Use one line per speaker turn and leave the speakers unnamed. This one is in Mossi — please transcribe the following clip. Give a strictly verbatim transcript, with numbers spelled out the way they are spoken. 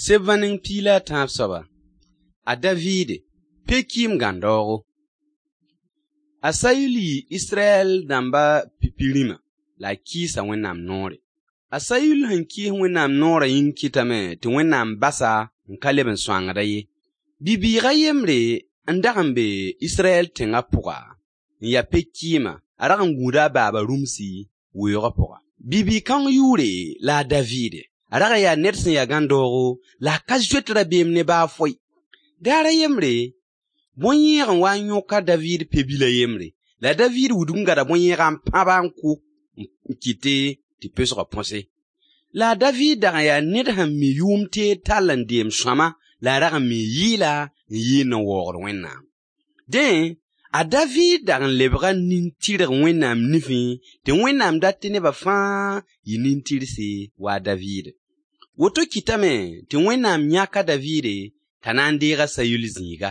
Seb-vãneng piig la a tãab soaba, a Daviid, pe-kɩɩm gãnd-daoogo. A Sayul yɩɩ Israyɛl dãmba pipi rĩma la a kɩɩsa Wẽnnaam noore. A Sayul sẽn kɩɩs Wẽnnaam noorã yĩng kɩtame tɩ Wẽnnaam bas-a n ka leb n sõangd-a ye. Bi-bɩɩg a yembre n dag n be Israyɛl tẽngã pʋga n ya pe-kɩɩma, a rag n gũuda a baaba rũmsi weoogã pʋga. Bi-bɩɩg-kãong yʋʋre la a Daviide. A rag n yaa ned sẽn ya gãnd-daoogo la a ka zoet rabeem ne baa foe. Daar a yembre, bõn-yẽeg n wa n yõk a Daviid pe-bil a yembre. La a Daviid wudg n gada bõn-yẽegã n pãb-a n kʋ n kɩtɩ tɩ pesgã põse. La a Daviid dag n yaa ned sẽn mi yʋʋm teed tall n deem sõama la a rag n mii yɩɩla n yɩɩnd n waoogd Wẽnnaam. Dẽ, a Daviid dag n lebga nin-tɩrg Wẽnnaam nifẽ tɩ Wẽnnaam dat tɩ neba fãa yɩ nin-tɩrse wa a Daviid. Woto kɩtame tɩ Wẽnnaam yãk a Daviide t'a na n deeg a Sayul zĩiga.